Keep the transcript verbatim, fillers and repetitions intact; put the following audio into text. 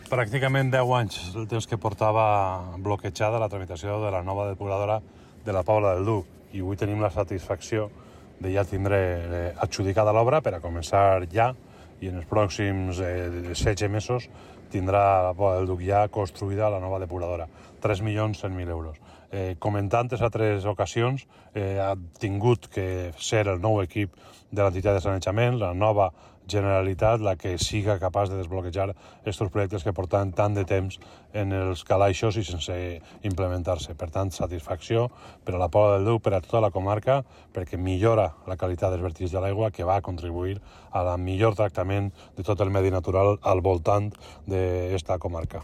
pràcticament deu anys el temps que portava bloquejada la tramitació de la nova depuradora de la Pobla del Duc, i avui tenim la satisfacció de ja tindre adjudicada l'obra per a començar ja, i en els pròxims eh, setze mesos tindrà la Pobla del Duc ja construïda la nova depuradora. tres milions cent mil euros. Eh, com en tantes altres ocasions, eh, ha tingut que ser el nou equip de l'entitat de sanejament, la nova Generalitat, la que siga capaç de desbloquejar aquests projectes que porten tant de temps en els calaixos i sense implementar-se. Per tant, satisfacció per a la Pobla del Duc, per a tota la comarca, perquè millora la qualitat dels vertigs de l'aigua, que va contribuir a la millor tractament de tot el medi natural al voltant d'esta comarca.